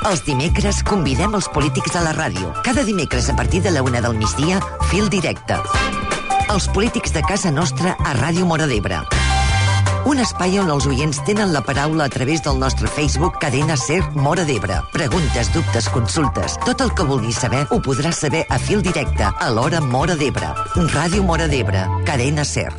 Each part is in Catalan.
Els dimecres convidem els polítics a la ràdio. Cada dimecres a partir de la 1 del migdia, Fil Directe. Els polítics de casa nostra a Ràdio Móra d'Ebre. Un espai on els oients tenen la paraula a través del nostre Facebook Cadena Ser Móra d'Ebre. Preguntes, dubtes, consultes. Tot el que vulguis saber ho podràs saber a Fil Directe, a l'hora Móra d'Ebre. Ràdio Móra d'Ebre, Cadena Ser.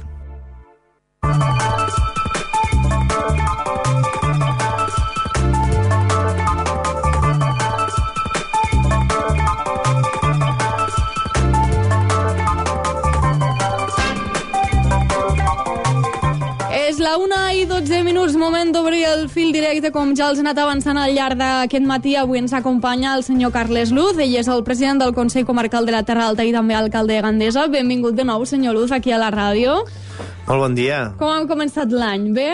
És la 1:12, moment d'obrir el Fil Directe, com ja els he anat avançant al llarg d'aquest matí. Avui ens acompanya el senyor Carles Luz, ell és el president del Consell Comarcal de la Terra Alta i també alcalde de Gandesa. Benvingut de nou, senyor Luz, aquí a la ràdio. Molt bon dia. Com hem començat l'any? Bé?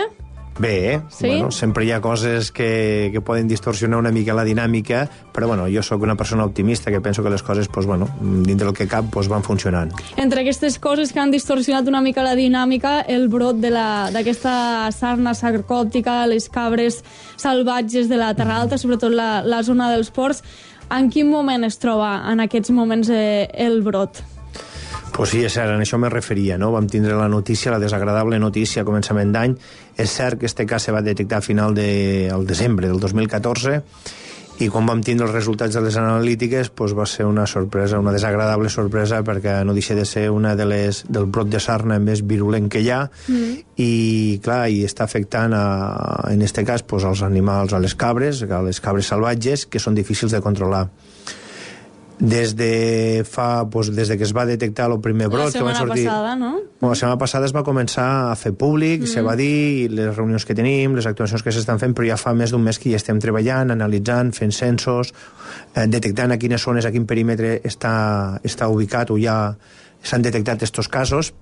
Bé, sí? Bueno, sempre hi ha coses que poden distorsionar una mica la dinàmica, però bueno, jo sóc una persona optimista que penso que les coses, pues, bueno, dintre del que cap, pues, van funcionant. Entre aquestes coses que han distorsionat una mica la dinàmica, el brot d'aquesta sarna sarcòptica, les cabres salvatges de la Terra Alta, sobretot la zona dels ports, en quin moment es troba en aquests moments el brot? Pues sí, és cert, a això me referia, no? Vam tindre la notícia, la desagradable notícia a començament d'any. És cert que este cas se va detectar a final del desembre del 2014 i quan vam tindre els resultats de les analítiques pues va ser una sorpresa, una desagradable sorpresa, perquè no deixa de ser una del brot de sarna més virulent que hi ha i, clar, i està afectant en este cas pues, als animals, a les cabres salvatges, que són difícils de controlar. Des de que es va detectar el primer brot... La setmana passada, no? La setmana passada es va començar a fer públic, se va dir, les reunions que tenim, les actuacions que s'estan fent, però ja fa més d'un mes que hi estem treballant, analitzant, fent censos, detectant a quines zones, a quin perímetre està ubicat o ja s'han detectat aquests casos,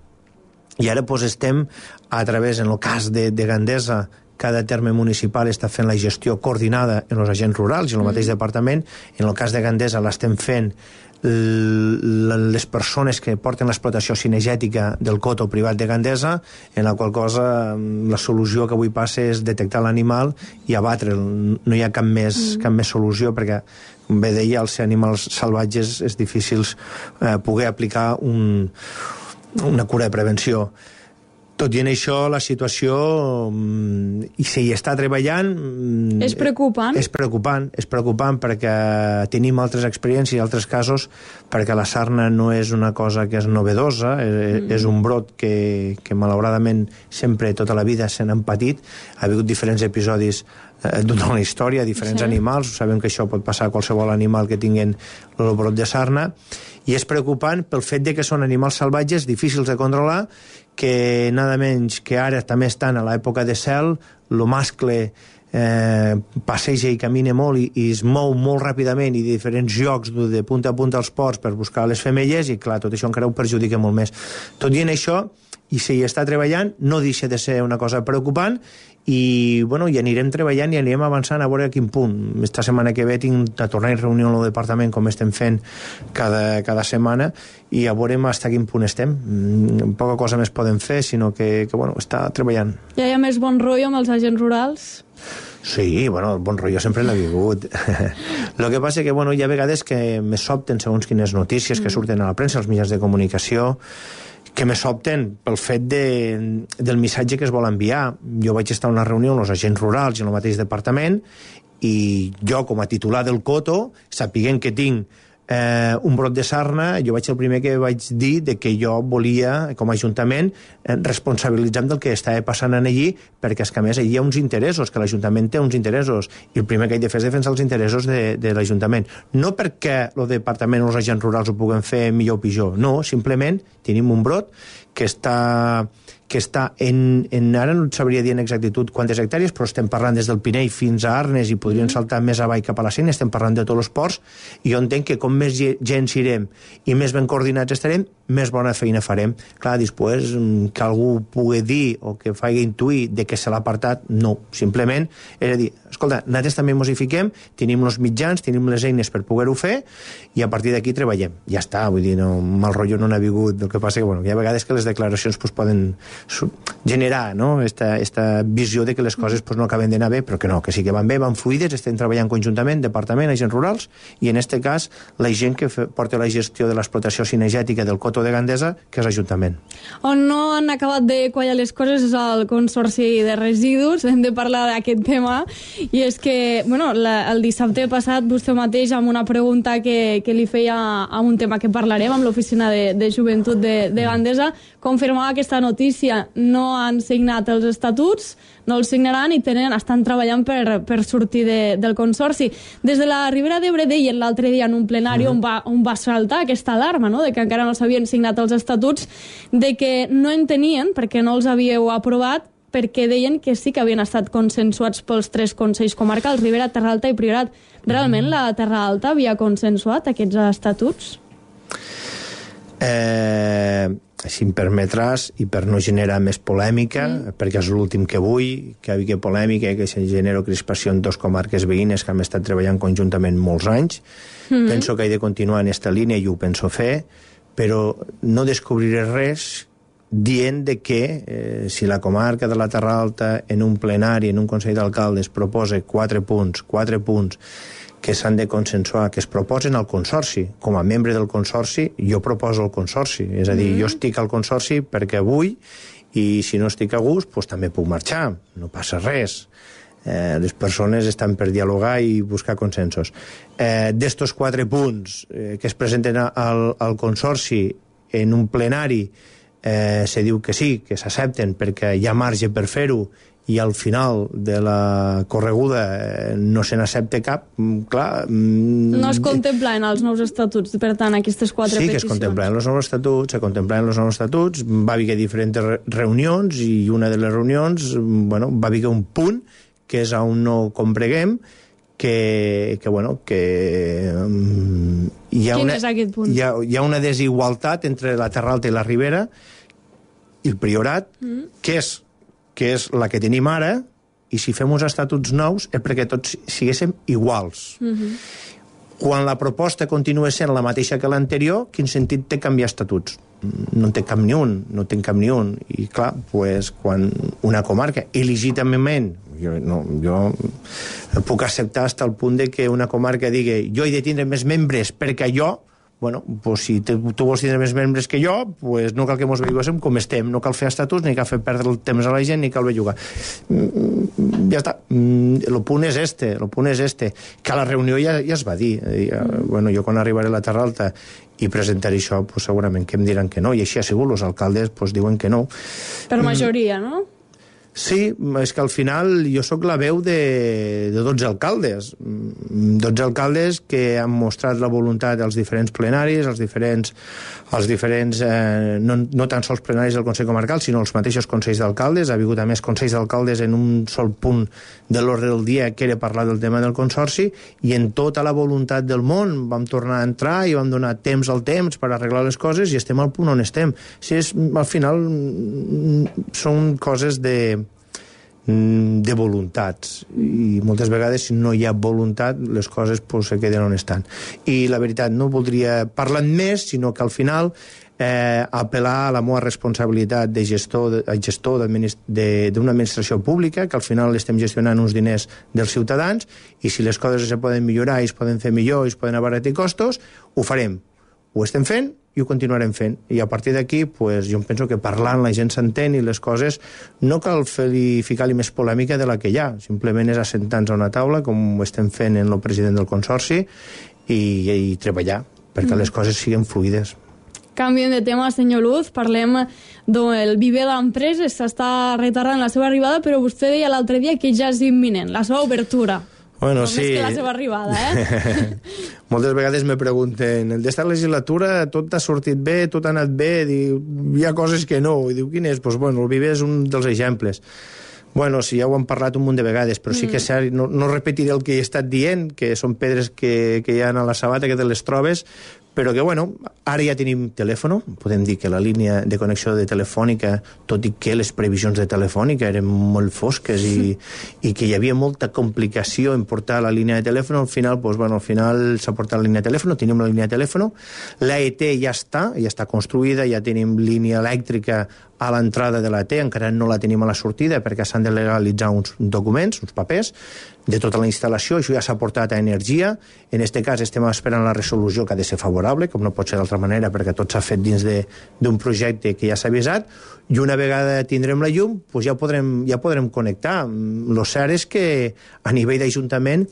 i ara estem, a través, en el cas de Gandesa, cada terme municipal està fent la gestió coordinada en els agents rurals i en el mateix departament. En el cas de Gandesa l'estem fent les persones que porten l'explotació cinegètica del coto privat de Gandesa, en la qual cosa la solució que avui passa és detectar l'animal i abatre'l. No hi ha cap més solució, perquè, com bé deia, als animals salvatges és difícil poder aplicar una cura de prevenció. Tot i en això, la situació, i si hi està treballant... És preocupant? És preocupant perquè tenim altres experiències i altres casos, perquè la sarna no és una cosa que és novedosa, és un brot que malauradament sempre, tota la vida, se n'han patit. Ha hagut diferents episodis durant la història, diferents animals. Sabem que això pot passar a qualsevol animal que tinguin el brot de sarna. I és preocupant pel fet de que són animals salvatges, difícils de controlar, que nada menys que ara també estan a l'època de cel, el mascle passeja i camina molt i es mou molt ràpidament i de diferents llocs de punta a punta als ports per buscar les femelles i, clar, tot això encara ho perjudica molt més. Tot i en això, i si hi està treballant, no deixa de ser una cosa preocupant i, bueno, hi anirem treballant i anirem avançant a veure a quin punt. Esta setmana que ve tinc de tornar a reunió en el departament, com estem fent cada setmana, i a veure fins a quin punt estem. Poca cosa més podem fer, sinó que bueno, està treballant. Ja hi ha més bon rotllo amb els agents rurals? Sí, bueno, el bon rotllo sempre l'ha vingut. El que passa que, bueno, hi ha vegades que me sobten segons quines notícies que surten a la premsa, als mitjans de comunicació, que me sobten pel fet del missatge que es vol enviar. Jo vaig estar a una reunió amb els agents rurals i en el mateix departament i jo, com a titular del coto, sapiguent que tinc un brot de sarna, jo vaig ser el primer que vaig dir que jo volia, com a Ajuntament, responsabilitzar del que estava passant allí, perquè és que a més hi ha uns interessos, que l'Ajuntament té uns interessos, i el primer que he de fer és defensar els interessos de l'Ajuntament. No perquè el departament o els agents rurals ho puguen fer millor o pitjor, no, simplement tenim un brot que està ara no et sabria dir en exactitud quantes hectàrees, però estem parlant des del Pinell fins a Arnes i podrien saltar més avall cap a la Sénia, estem parlant de tots els ports, i jo entenc que com més gent sirem i més ben coordinats estarem, més bona feina farem. Clar, després, que algú pugui dir o que faci intuir de que se l'ha apartat, no. Simplement, és a dir, escolta, nosaltres també ens hi fiquem, tenim els mitjans, tenim les eines per poder-ho fer, i a partir d'aquí treballem. Ja està, vull dir, no, mal rotllo no n'ha vingut. El que passa que, bueno, hi ha vegades que les declaracions pues, poden generar, no?, esta visió de que les coses pues, no acaben d'anar bé, però que no, que sí que van bé, van fluides, estem treballant conjuntament, departament, agents rurals, i en este cas la gent que porta la gestió de l'explotació cinegètica del Coto de Gandesa, que és l'Ajuntament. On no han acabat de quallar les coses és el Consorci de Residus. Hem de parlar d'aquest tema, i és que, bueno, el dissabte passat vostè mateix, amb una pregunta que li feia a un tema que parlarem amb l'Oficina de Joventut de Gandesa, confirmava aquesta notícia. No han signat els estatuts, no els signaran i estan treballant per sortir del Consorci. Des de la Ribera d'Ebre deien l'altre dia en un plenari on va saltar aquesta alarma, no?, de que encara no s'havien signat els estatuts, de que no en tenien perquè no els havíeu aprovat, perquè deien que sí que havien estat consensuats pels 3 consells comarcals, Ribera, Terra Alta i Priorat. Realment la Terra Alta havia consensuat aquests estatuts? Si em permetràs, i per no generar més polèmica, perquè és l'últim que vull, que hi hagi polèmica, que se genera crispació en 2 comarques veïnes que han estat treballant conjuntament molts anys. Penso que he de continuar en aquesta línia i ho penso fer, però no descobriré res dient de que si la comarca de la Terra Alta en un plenari, en un Consell d'Alcaldes, proposa 4 punts que s'han de consensuar, que es proposen al Consorci. Com a membre del Consorci, jo proposo el Consorci. És a dir, jo estic al Consorci perquè vull, i si no estic a gust, doncs també puc marxar. No passa res. Les persones estan per dialogar i buscar consensos. D'estos 4 punts que es presenten al Consorci en un plenari, se diu que sí, que s'accepten perquè hi ha marge per fer-ho, i al final de la correguda no se n'accepta cap, clar... No es contemplen els nous estatuts, per tant, aquestes 4 peticions. Sí, que es contemplen els nous estatuts, va haver diferents reunions, i una de les reunions, bueno, va haver un punt, que és on no combreguem, que Quin és aquest punt? Hi ha una desigualtat entre la Terra Alta i la Ribera i el Priorat, que és la que tenim ara, i si fem uns estatuts nous és perquè tots siguéssim iguals. Quan la proposta continua sent la mateixa que l'anterior, quin sentit té canviar estatuts? No en té cap ni un, I clar, pues, quan una comarca, il·legítimament, jo puc acceptar fins al punt de que una comarca digui jo he de tindre més membres perquè jo, bueno, pues si tu vols tindre més membres que jo, pues no cal que mos veiguéssim com estem, no cal fer estatuts, ni cal fer perdre el temps a la gent, ni cal bellugar. Ja està. El punt és este, que a la reunió ja es va dir. Bueno, jo quan arribaré a la Terra Alta i presentaré això, pues segurament que em diran que no, i així ha sigut, els alcaldes pues diuen que no. Per majoria, no? Sí, és que al final jo sóc la veu de 12 alcaldes. 12 alcaldes que han mostrat la voluntat als diferents plenaris, als diferents no tan sols plenaris del Consell Comarcal, sinó els mateixos consells d'alcaldes. Ha hagut a més consells d'alcaldes en un sol punt de l'ordre del dia, que era parlar del tema del Consorci, i en tota la voluntat del món vam tornar a entrar i vam donar temps al temps per arreglar les coses, i estem al punt on estem. Sí, al final són coses de voluntats, i moltes vegades si no hi ha voluntat les coses pues, se queden on estan. I la veritat, no voldria parlar més, sinó que al final apel·lar a la meva responsabilitat de gestor d'una administració pública, que al final estem gestionant uns diners dels ciutadans, i si les coses se poden millorar i es poden fer millor i es poden abaratir costos, ho farem. Ho estem fent i ho continuarem fent. I a partir d'aquí, pues, jo penso que parlant la gent s'entén, i les coses no cal ficar-li més polèmica de la que hi ha. Simplement és assentar-nos a una taula, com ho estem fent en el president del Consorci, i treballar perquè les coses siguin fluides. Canviem de tema, senyor Luz, parlem del Viver d'Empreses. S'està retardant la seva arribada, però vostè deia l'altre dia que ja és imminent, la seva obertura. Bueno, només que la seva arribada, Moltes vegades me pregunten, el d'esta legislatura tot ha sortit bé, tot ha anat bé, hi ha coses que no, i diu, quin és? Doncs bueno, el Viver és un dels exemples. Bueno, sí, ja ho hem parlat un munt de vegades, però sí que és cert, no repetiré el que he estat dient, que són pedres que hi ha a la sabata, que te les trobes, però que, bueno, ara ja tenim telèfon, podem dir que la línia de connexió de telefònica, tot i que les previsions de telefònica eren molt fosques i que hi havia molta complicació en portar la línia de telèfon, al final, doncs, bueno, al final s'ha portat la línia de telèfon, tenim la línia de telèfon, l'AET ja està construïda, ja tenim línia elèctrica a l'entrada de l'AT, encara no la tenim a la sortida perquè s'han de legalitzar uns documents, uns papers, de tota la instal·lació, això ja s'ha portat a Energia, en aquest cas estem esperant la resolució que ha de ser favorable, com no pot ser d'altra manera perquè tot s'ha fet dins d'un projecte que ja s'ha avisat, i una vegada tindrem la llum doncs ja podrem connectar. Lo cert és que a nivell d'Ajuntament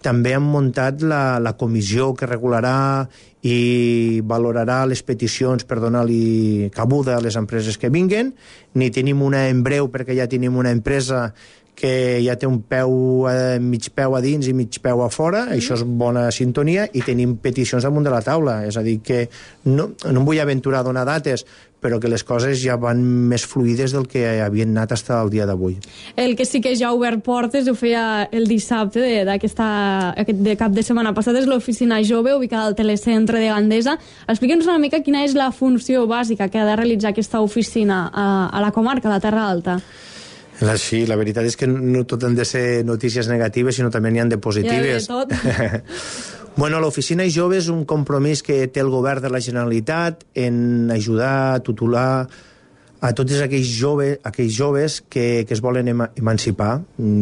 també han muntat la comissió que regularà i valorarà les peticions per donar-li cabuda a les empreses que vinguen. Ni tenim una en breu perquè ja tenim una empresa que ja té un mig peu a dins i mig peu a fora, això és bona sintonia, i tenim peticions damunt de la taula. És a dir, que no em vull aventurar a donar dates, però que les coses ja van més fluides del que havien anat fins al dia d'avui. El que sí que ja ha obert portes, ho feia el dissabte de cap de setmana passat, és l'oficina jove ubicada al telecentre de Gandesa. Explica'ns una mica quina és la funció bàsica que ha de realitzar aquesta oficina a la comarca, a la Terra Alta. Sí, la veritat és que no tot han de ser notícies negatives, sinó també n'hi ha de positives. Ja de tot. Bueno, l'Oficina Jove és un compromís que té el govern de la Generalitat en ajudar a tutelar a tots aquells joves que es volen emancipar,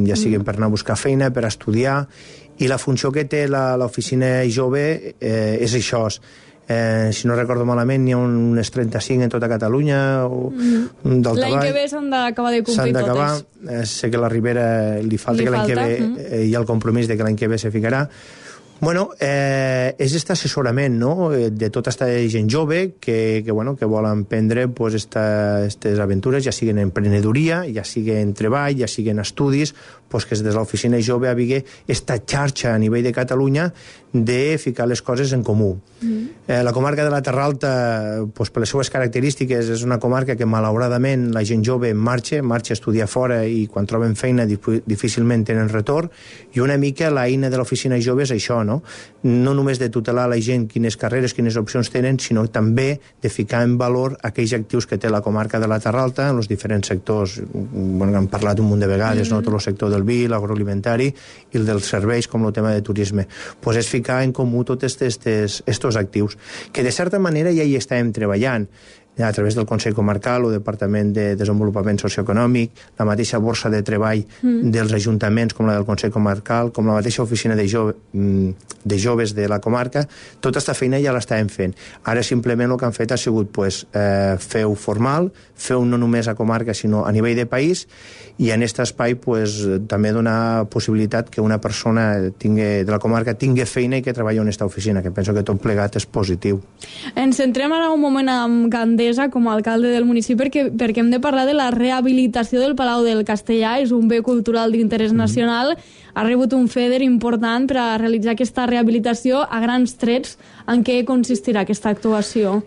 ja siguin per anar a buscar feina, per estudiar, i la funció que té l'Oficina Jove és això. Si no recordo malament, n'hi ha unes 35 en tota Catalunya. L'any que ve s'han d'acabar de complir totes. Sé que a la Ribera li falta que l'any que ve hi ha el compromís de que l'any que ve se ficarà. Bueno, és aquest assessorament, no?, de tota aquesta gent jove que volen prendre aquestes aventures, ja siguin en emprenedoria, ja siguin en treball, ja siguin estudis, que des de l'Oficina Jove havia aquesta xarxa a nivell de Catalunya de ficar les coses en comú. La comarca de la Terra Alta, per les seues característiques, és una comarca que malauradament la gent jove marxa a estudiar fora i quan troben feina difícilment tenen retorn, i una mica l'eina de l'Oficina Jove és això, no només de tutelar la gent quines carreres, quines opcions tenen, sinó també de ficar en valor aquells actius que té la comarca de la Terra Alta en els diferents sectors. Hem parlat un munt de vegades, tot el sector del vi, l'agroalimentari i el dels serveis, com el tema de turisme. És ficar en comú tots aquests actius, que de certa manera ja hi estàvem treballant a través del Consell Comarcal o Departament de Desenvolupament Socioeconòmic, la mateixa borsa de treball dels ajuntaments, com la del Consell Comarcal, com la mateixa oficina de joves de la comarca. Tota aquesta feina ja l'estàvem fent. Ara simplement el que han fet ha sigut fer-ho formal, fer-ho no només a comarca, sinó a nivell de país, i en aquest espai també donar possibilitat que una persona de la comarca tingui feina i que treballi en aquesta oficina, que penso que tot plegat és positiu. Ens centrem ara un moment amb Gandesa com a alcalde del municipi perquè hem de parlar de la rehabilitació del Palau del Castellà. És un bé cultural d'interès nacional. Ha rebut un FEDER important per a realitzar aquesta rehabilitació. A grans trets, en què consistirà aquesta actuació?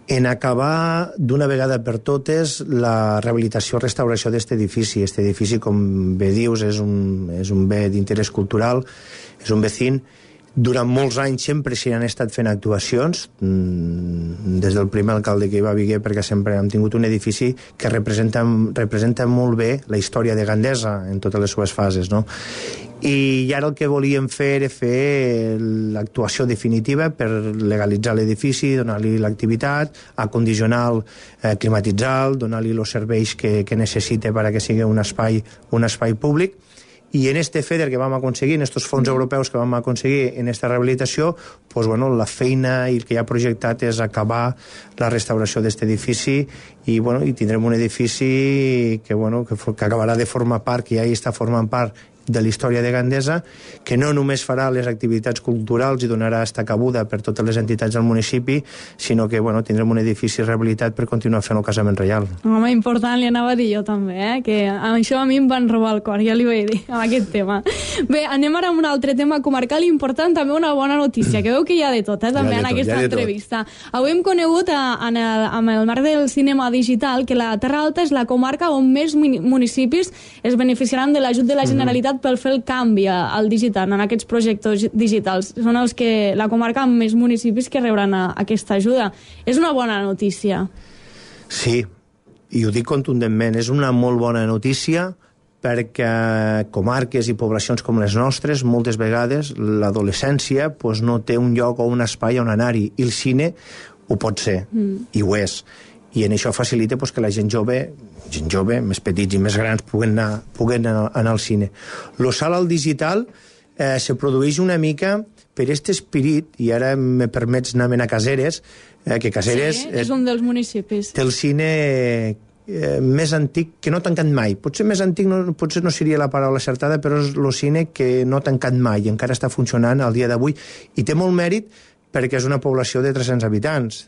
En acabar d'una vegada per totes la rehabilitació i restauració d'aquest edifici. Aquest edifici, com bé dius, és un bé d'interès cultural, és un vecín. Durant molts anys sempre s'hi han estat fent actuacions, des del primer alcalde que hi va haver, perquè sempre hem tingut un edifici que representa molt bé la història de Gandesa en totes les seves fases, no? I ara el que volíem fer era fer l'actuació definitiva per legalitzar l'edifici, donar-li l'activitat, acondicionar-lo, climatitzar-lo, donar-li els serveis que necessita perquè sigui un espai públic. I en este FEDER que vam aconseguir, en aquests fons europeus que vam aconseguir en aquesta rehabilitació, la feina i el que hi ha projectat és acabar la restauració d'aquest edifici i tindrem un edifici que acabarà de formar part, que ja hi està formant part de la història de Gandesa, que no només farà les activitats culturals i donarà esta cabuda per totes les entitats del municipi, sinó que tindrem un edifici rehabilitat per continuar fent el casament reial. Home, important, li anava a dir jo també, que això a mi em van robar el cor, ja li vaig dir, amb aquest tema. Bé, anem ara amb un altre tema comarcal important, també una bona notícia, que veu que hi ha de tot, també en aquesta entrevista. Avui hem conegut, amb el marc del cinema digital, que la Terra Alta és la comarca on més municipis es beneficiaran de l'ajut de la Generalitat apostat pel fer el canvi al digital, en aquests projectes digitals. Són els que la comarca amb més municipis que rebran aquesta ajuda. És una bona notícia. Sí, i ho dic contundentment, és una molt bona notícia perquè comarques i poblacions com les nostres, moltes vegades l'adolescència no té un lloc o un espai on anar-hi, i el cine ho pot ser, i ho és. I en això facilita que la gent jove, més petits i més grans, puguen anar al cine. Lo salt al digital se produeix una mica per aquest espirit, i ara me permets anar a Caseres, que Caseres... Sí, és un dels municipis. Té el cine més antic que no ha tancat mai. Potser més antic potser no seria la paraula acertada, però és el cine que no ha tancat mai i encara està funcionant al dia d'avui, i té molt mèrit perquè és una població de 300 habitants.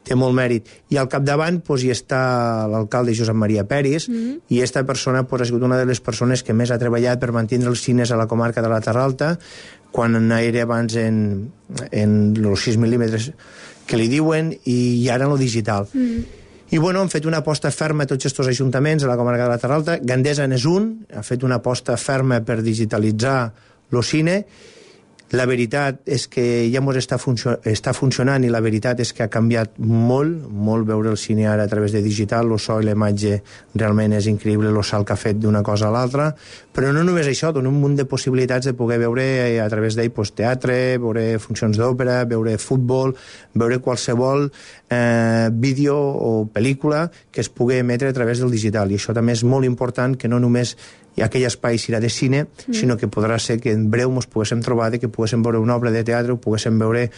Té molt mèrit. I al capdavant hi està l'alcalde Josep Maria Peris, i aquesta persona ha sigut una de les persones que més ha treballat per mantenir els cines a la comarca de la Terra Alta, quan era abans en els 6 mil·límetres que li diuen, i ara en el digital. I han fet una aposta ferma a tots aquests ajuntaments a la comarca de la Terra Alta. Gandesa n'és un, ha fet una aposta ferma per digitalitzar el cine. La veritat és que ja està funcionant, i la veritat és que ha canviat molt veure el cine ara a través de digital. El so i la imatge realment és increïble, el salt que ha fet d'una cosa a l'altra. Però no només això, dona un munt de possibilitats de poder veure a través d'ell teatre, veure funcions d'òpera, veure futbol, veure qualsevol vídeo o pel·lícula que es pugui emetre a través del digital. I això també és molt important, que no només aquell espai serà de cine, sinó que podrà ser que en breu ens poguéssim trobar que poguéssim veure una obra de teatre o poguéssim veure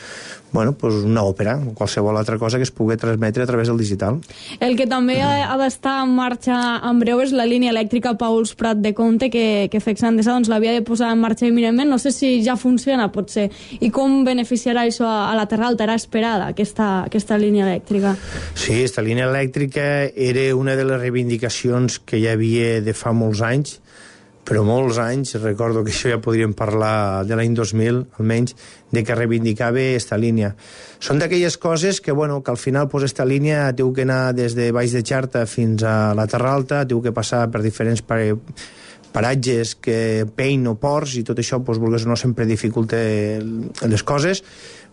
una òpera o qualsevol altra cosa que es pugui transmetre a través del digital. El que també ha d'estar en marxa en breu és la línia elèctrica Pauls Prat de Comte, que FEX Endesa l'havia de posar en marxa imminentment. No sé si ja funciona, potser. I com beneficiarà això a la Terra Alta? Era esperada aquesta línia elèctrica? Sí, aquesta línia elèctrica era una de les reivindicacions que hi havia de fa molts anys, però molts anys, recordo que això ja podríem parlar de l'any 2000, almenys, de que reivindicava aquesta línia. Són d'aquelles coses que, que al final aquesta línia té que anar des de Baix de Xarta fins a la Terra Alta, té que passar per diferents paratges que Pein o Ports, i tot això, vulguis o no, sempre dificulta les coses.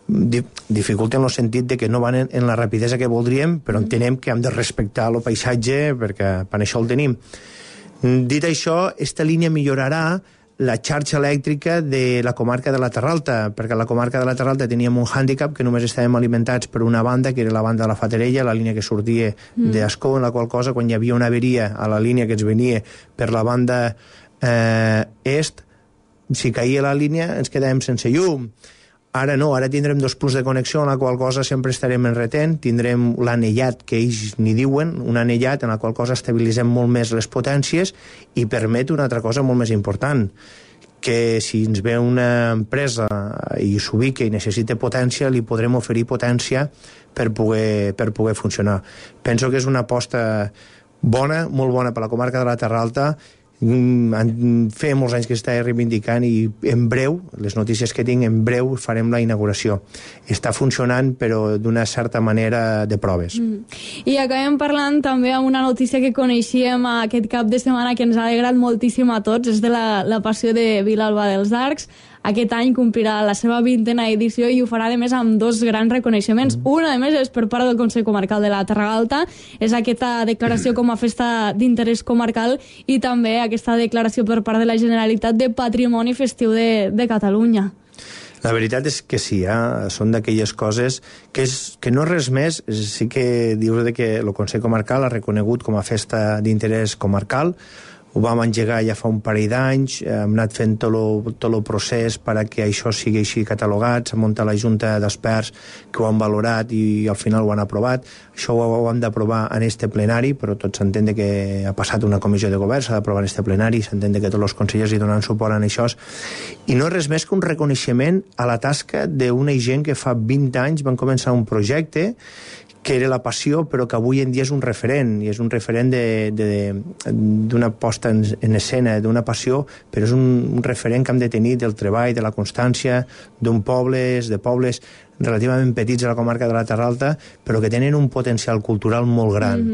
Dificulta en el sentit de que no van en la rapidesa que voldríem, però entenem que hem de respectar el paisatge, perquè per això el tenim. Dit això, aquesta línia millorarà la xarxa elèctrica de la comarca de la Terra Alta, perquè a la comarca de la Terra Alta teníem un hàndicap que només estàvem alimentats per una banda, que era la banda de la Fatarella, la línia que sortia d'Ascó, en la qual cosa, quan hi havia una averia a la línia que ens venia per la banda est, si caïa la línia ens quedàvem sense llum. Ara no, ara tindrem 2 punts de connexió, en la qual cosa sempre estarem enretent, tindrem l'anellat, que ells n'hi diuen, un anellat en la qual cosa estabilitzem molt més les potències i permet una altra cosa molt més important, que si ens ve una empresa i s'ubica i necessita potència, li podrem oferir potència per poder funcionar. Penso que és una aposta bona, molt bona per la comarca de la Terra Alta. Feia molts anys que s'estava reivindicant, i en breu, les notícies que tinc, en breu farem la inauguració. Està funcionant, però d'una certa manera de proves. I acabem parlant també amb una notícia que coneixíem aquest cap de setmana, que ens ha alegrat moltíssim a tots. És de la passió de Vilalba dels Arcs. Aquest any complirà la seva 20a edició, i ho farà, a més, amb 2 grans reconeixements. Una, a més, és per part del Consell Comarcal de la Terra Alta, és aquesta declaració com a festa d'interès comarcal, i també aquesta declaració per part de la Generalitat de Patrimoni Festiu de Catalunya. La veritat és que sí, són d'aquelles coses que no res més. Sí que dius que el Consell Comarcal ha reconegut com a festa d'interès comarcal. Ho vam engegar ja fa un parell d'anys, hem anat fent tot el procés perquè això sigui així catalogat, s'ha muntat la Junta d'Experts que ho han valorat i al final ho han aprovat. Això ho hem d'aprovar en este plenari, però tot s'entén que ha passat una comissió de govern, s'ha d'aprovar en este plenari, s'entén que tots els consellers hi donen suport en això. I no és res més que un reconeixement a la tasca d'una gent que fa 20 anys van començar un projecte que era la passió, però que avui en dia és un referent, i és un referent d'una posta en escena, d'una passió, però és un referent que hem de tenir del treball, de la constància, d'un pobles, de pobles relativament petits a la comarca de la Terra Alta, però que tenen un potencial cultural molt gran.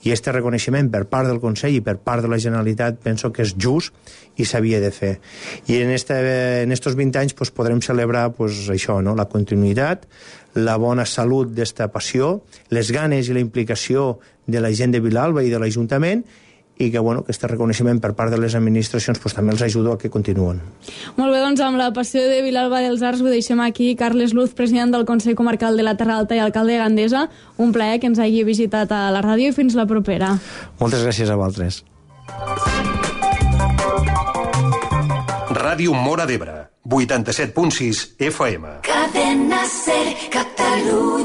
I este reconeixement per part del Consell i per part de la Generalitat penso que és just i s'havia de fer. I en estos 20 anys pues, podrem celebrar pues, això, no? La continuïtat, la bona salut d'esta passió, les ganes i la implicació de la gent de Vilalba i de l'Ajuntament, i que, bueno, aquest reconeixement per part de les administracions pues, també els ajuda a que continuen. Molt bé, doncs amb la passió de Vilalba dels Arcs ho deixem aquí. Carles Luz, president del Consell Comarcal de la Terra Alta i alcalde de Gandesa, un plaer que ens hagi visitat a la ràdio i fins la propera. Moltes gràcies a vosaltres. Ràdio Móra d'Ebre, 87.6 FM. Cadena Ser, Catalunya.